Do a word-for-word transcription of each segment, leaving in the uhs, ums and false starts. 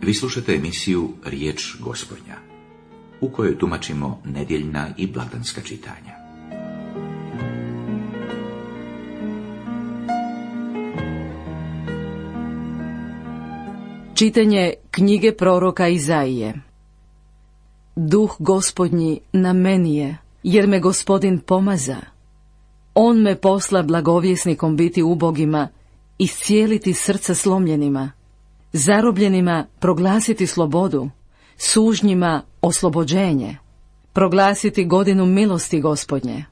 Vi slušate emisiju Riječ Gospodnja, u kojoj tumačimo nedjeljna i blagdanska čitanja. Čitanje knjige proroka Izaije. Duh Gospodnji na meni je, jer me Gospodin pomaza. On me posla blagovjesnikom biti ubogima, iscijeliti srca slomljenima, zarobljenima proglasiti slobodu, sužnjima oslobođenje, proglasiti godinu milosti Gospodnje.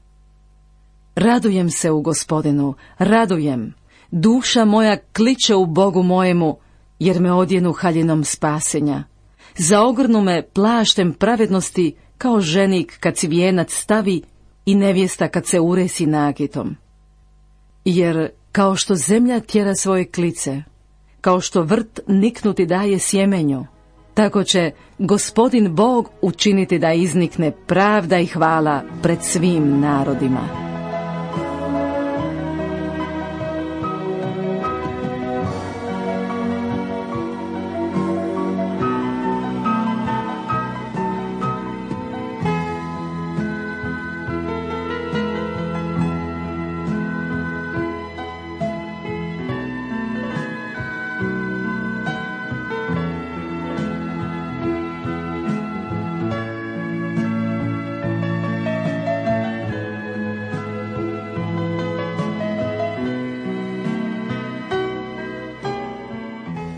Radujem se u Gospodinu, radujem, duša moja kliče u Bogu mojemu, jer me odjenu haljinom spasenja. Zaogrnu me plaštem pravednosti, kao ženik kad si vijenac stavi i nevjesta kad se uresi nakitom. Jer kao što zemlja tjera svoje klice, kao što vrt niknuti daje sjemenju, tako će Gospodin Bog učiniti da iznikne pravda i hvala pred svim narodima.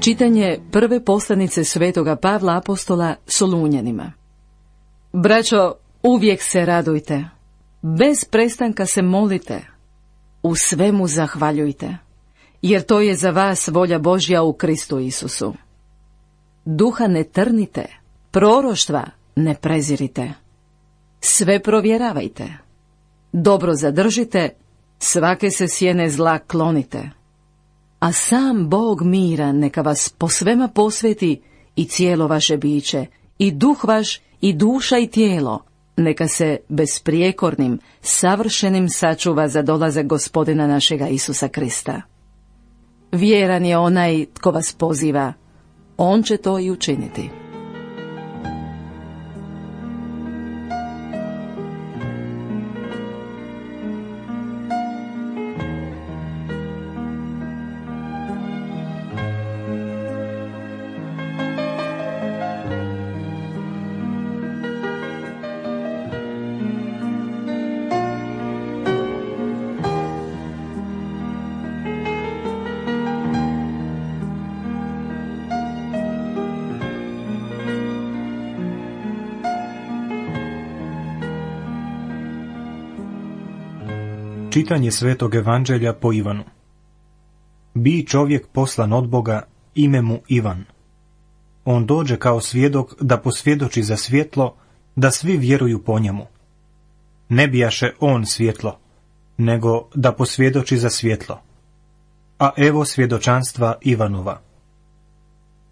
Čitanje prve poslanice svetoga Pavla apostola Solunjanima. Braćo, uvijek se radujte, bez prestanka se molite, u svemu zahvaljujte, jer to je za vas volja Božja u Kristu Isusu. Duha ne trnite, proroštva ne prezirite, sve provjeravajte, dobro zadržite, svake se sjene zla klonite. A sam Bog mira neka vas po svema posveti i cijelo vaše biće, i duh vaš, i duša i tijelo, neka se besprijekornim, savršenim sačuva za dolazak Gospodina našega Isusa Krista. Vjeran je onaj tko vas poziva, on će to i učiniti. Čitanje Svetog Evanđelja po Ivanu. Bi čovjek poslan od Boga, ime mu Ivan. On dođe kao svjedok da posvjedoči za svjetlo, da svi vjeruju po njemu. Ne bijaše on svjetlo, nego da posvjedoči za svjetlo. A evo svjedočanstva Ivanova.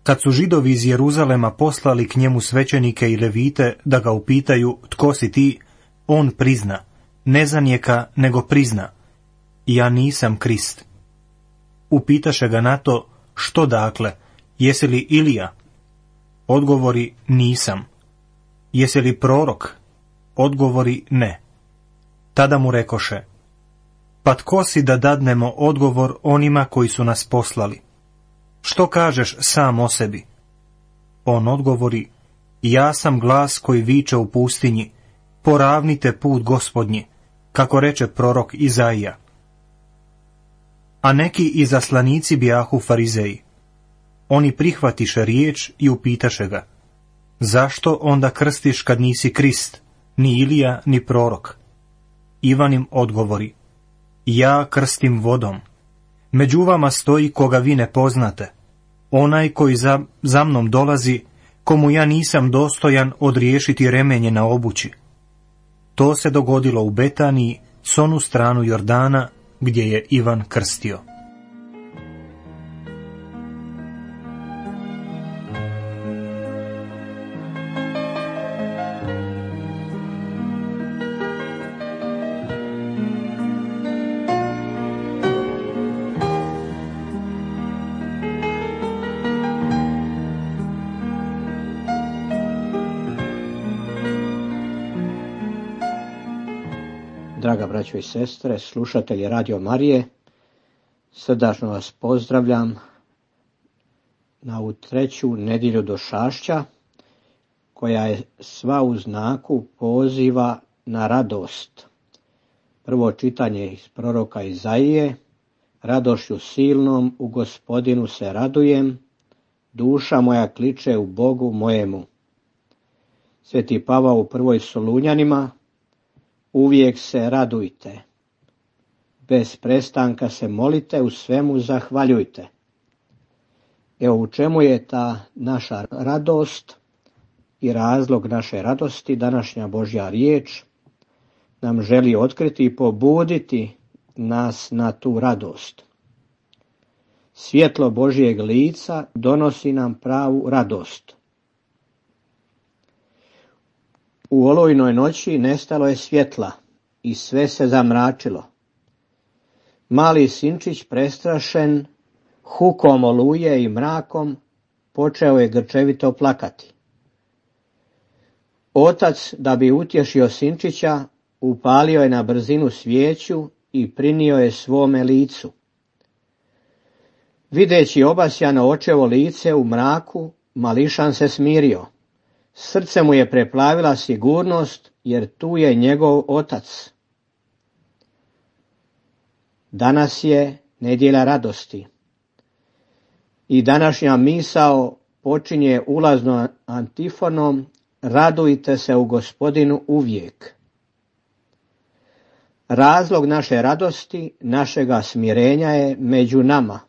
Kad su Židovi iz Jeruzalema poslali k njemu svećenike i levite da ga upitaju tko si ti, on prizna, ne zanijeka, nego prizna, ja nisam Krist. Upitaše ga na to, što dakle, jesi li Ilija? Odgovori, nisam. Jesi li prorok? Odgovori, ne. Tada mu rekoše, pa tko si da dadnemo odgovor onima koji su nas poslali? Što kažeš sam o sebi? On odgovori, ja sam glas koji viče u pustinji, poravnite put Gospodnji, kako reče prorok Izaija. A neki izaslanici bijahu farizeji. Oni prihvatiše riječ i upitaše ga, zašto onda krstiš kad nisi Krist, ni Ilija, ni prorok? Ivan im odgovori, ja krstim vodom. Među vama stoji koga vi ne poznate, onaj koji za, za mnom dolazi, komu ja nisam dostojan odriješiti remenje na obući. To se dogodilo u Betaniji, s onu stranu Jordana, gdje je Ivan krstio. Draga braćo i sestre, slušatelji Radio Marije, srdačno vas pozdravljam na ovu treću nedjelju došašća, koja je sva u znaku poziva na radost. Prvo čitanje iz proroka Izaije: radošću silnom u Gospodinu se radujem, duša moja kliče u Bogu mojemu. Sveti Pavao u prvoj Solunjanima: uvijek se radujte, bez prestanka se molite, u svemu zahvaljujte. Evo u čemu je ta naša radost i razlog naše radosti. Današnja Božja riječ nam želi otkriti i pobuditi nas na tu radost. Svjetlo Božjeg lica donosi nam pravu radost. U olujnoj noći nestalo je svjetla i sve se zamračilo. Mali sinčić, prestrašen hukom oluje i mrakom, počeo je grčevito plakati. Otac, da bi utješio sinčića, upalio je na brzinu svijeću i prinio je svome licu. Videći obasjano očevo lice u mraku, mališan se smirio. Srce mu je preplavila sigurnost, jer tu je njegov otac. Danas je nedjelja radosti. I današnja misao počinje ulaznom antifonom: radujte se u Gospodinu uvijek. Razlog naše radosti, našega smirenja je među nama.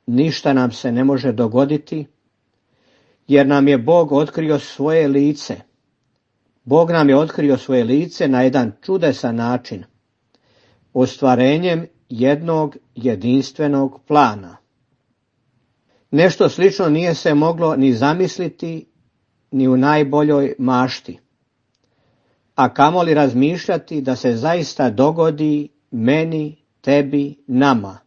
Ništa nam se ne može dogoditi, jer nam je Bog otkrio svoje lice. Bog nam je otkrio svoje lice na jedan čudesan način, ostvarenjem jednog jedinstvenog plana. Nešto slično nije se moglo ni zamisliti ni u najboljoj mašti, a kamoli razmišljati da se zaista dogodi meni, tebi, nama.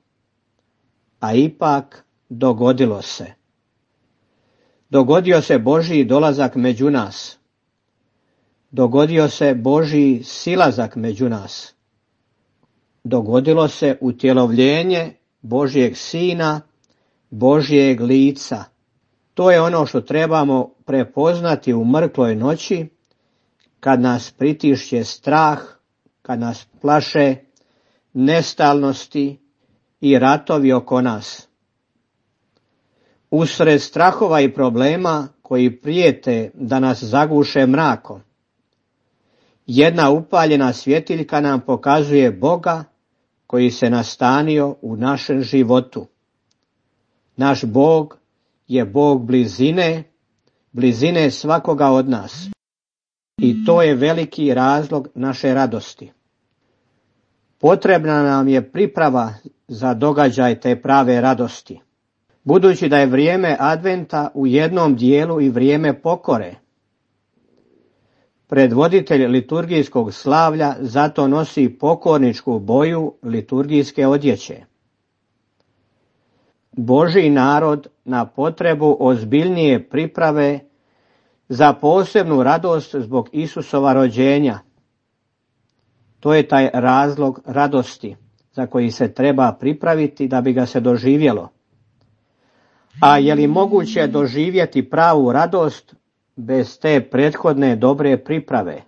A ipak dogodilo se. Dogodio se Božji dolazak među nas. Dogodio se Božji silazak među nas. Dogodilo se utjelovljenje Božjeg Sina, Božjeg lica. To je ono što trebamo prepoznati u mrkloj noći, kad nas pritišće strah, kad nas plaše nestalnosti i ratovi oko nas. Usred strahova i problema koji prijete da nas zaguše mrakom, jedna upaljena svjetiljka nam pokazuje Boga koji se nastanio u našem životu. Naš Bog je Bog blizine, blizine svakoga od nas. I to je veliki razlog naše radosti. Potrebna nam je priprava za događaj te prave radosti. Budući da je vrijeme adventa u jednom dijelu i vrijeme pokore. Predvoditelj liturgijskog slavlja zato nosi pokorničku boju liturgijske odjeće. Božji narod na potrebu ozbiljnije priprave za posebnu radost zbog Isusova rođenja. To je taj razlog radosti za koji se treba pripraviti da bi ga se doživjelo. A je li moguće doživjeti pravu radost bez te prethodne dobre priprave?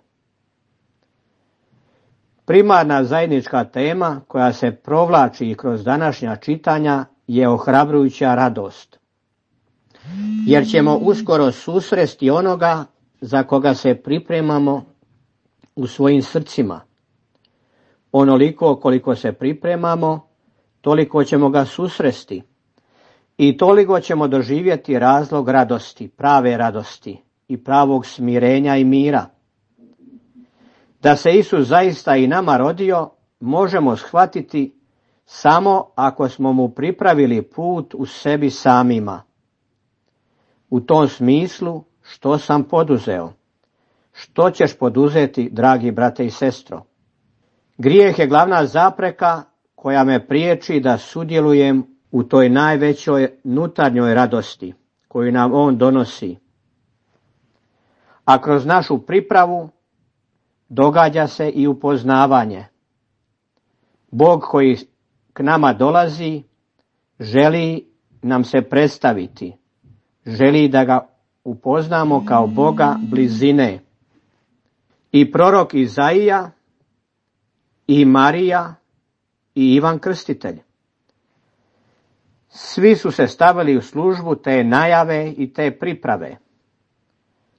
Primarna zajednička tema koja se provlači kroz današnja čitanja je ohrabrujuća radost. Jer ćemo uskoro susresti onoga za koga se pripremamo u svojim srcima. Onoliko koliko se pripremamo, toliko ćemo ga susresti. I toliko ćemo doživjeti razlog radosti, prave radosti i pravog smirenja i mira. Da se Isus zaista i nama rodio, možemo shvatiti samo ako smo mu pripravili put u sebi samima. U tom smislu, što sam poduzeo? Što ćeš poduzeti, dragi brate i sestro? Grijeh je glavna zapreka koja me priječi da sudjelujem u toj najvećoj nutarnjoj radosti koju nam on donosi. A kroz našu pripravu događa se i upoznavanje. Bog koji k nama dolazi želi nam se predstaviti, želi da ga upoznamo kao Boga blizine. I prorok Izaija, i Marija, i Ivan Krstitelj. Svi su se stavili u službu te najave i te priprave.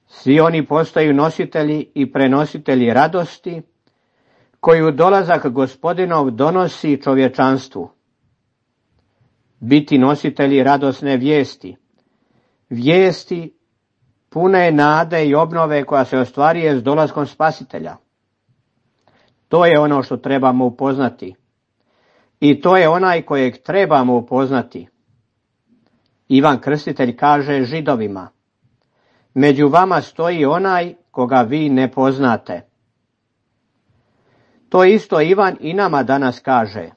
Svi oni postaju nositelji i prenositelji radosti, koju dolazak Gospodinov donosi čovječanstvu. Biti nositelji radosne vijesti, vijesti pune nade i obnove koja se ostvaruje s dolaskom Spasitelja. To je ono što trebamo upoznati. I to je onaj kojeg trebamo upoznati. Ivan Krstitelj kaže Židovima: među vama stoji onaj koga vi ne poznate. To isto Ivan i nama danas kaže,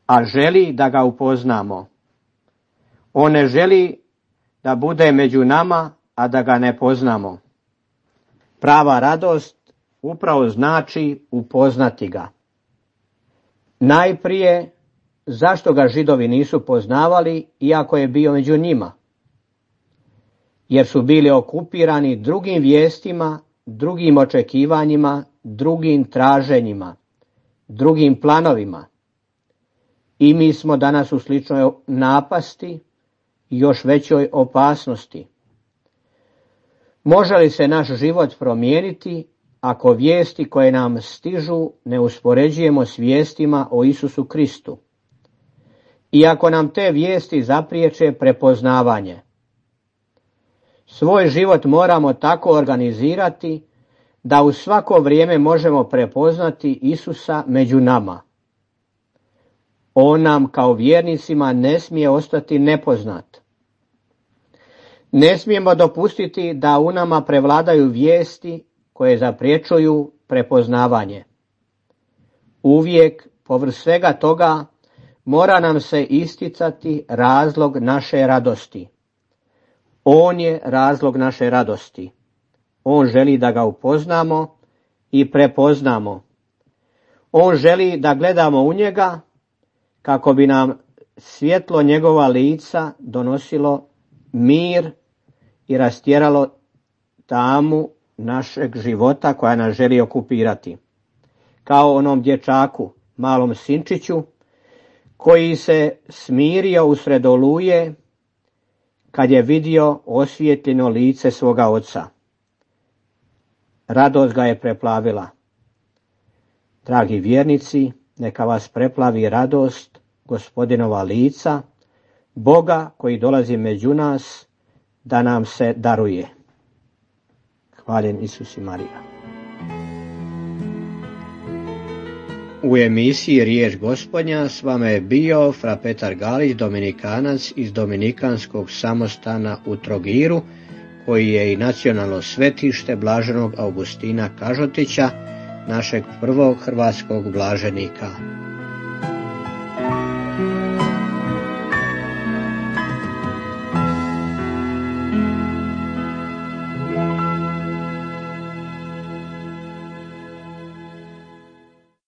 a želi da ga upoznamo. On ne želi da bude među nama, a da ga ne poznamo. Prava radost upravo znači upoznati ga. Najprije, zašto ga Židovi nisu poznavali, iako je bio među njima? Jer su bili okupirani drugim vijestima, drugim očekivanjima, drugim traženjima, drugim planovima. I mi smo danas u sličnoj napasti i još većoj opasnosti. Može li se naš život promijeniti ako vijesti koje nam stižu ne uspoređujemo s vijestima o Isusu Kristu? I ako nam te vijesti zapriječe prepoznavanje? Svoj život moramo tako organizirati da u svako vrijeme možemo prepoznati Isusa među nama. On nam kao vjernicima ne smije ostati nepoznat. Ne smijemo dopustiti da u nama prevladaju vijesti koje zapriječuju prepoznavanje. Uvijek, povrh svega toga, mora nam se isticati razlog naše radosti. On je razlog naše radosti. On želi da ga upoznamo i prepoznamo. On želi da gledamo u njega kako bi nam svjetlo njegova lica donosilo mir i rastjeralo tamu našeg života koja nas želi okupirati. Kao onom dječaku, malom sinčiću, koji se smirio usred oluje kad je vidio osvjetljeno lice svoga oca. Radost ga je preplavila. Dragi vjernici, neka vas preplavi radost Gospodinova lica, Boga koji dolazi među nas da nam se daruje. Hvaljen Isus i Marija. U emisiji Riječ Gospodnja s vama je bio fra Petar Galić, Dominikanac iz Dominikanskog samostana u Trogiru, koji je i nacionalno svetište blaženog Augustina Kažotića, našeg prvog hrvatskog blaženika.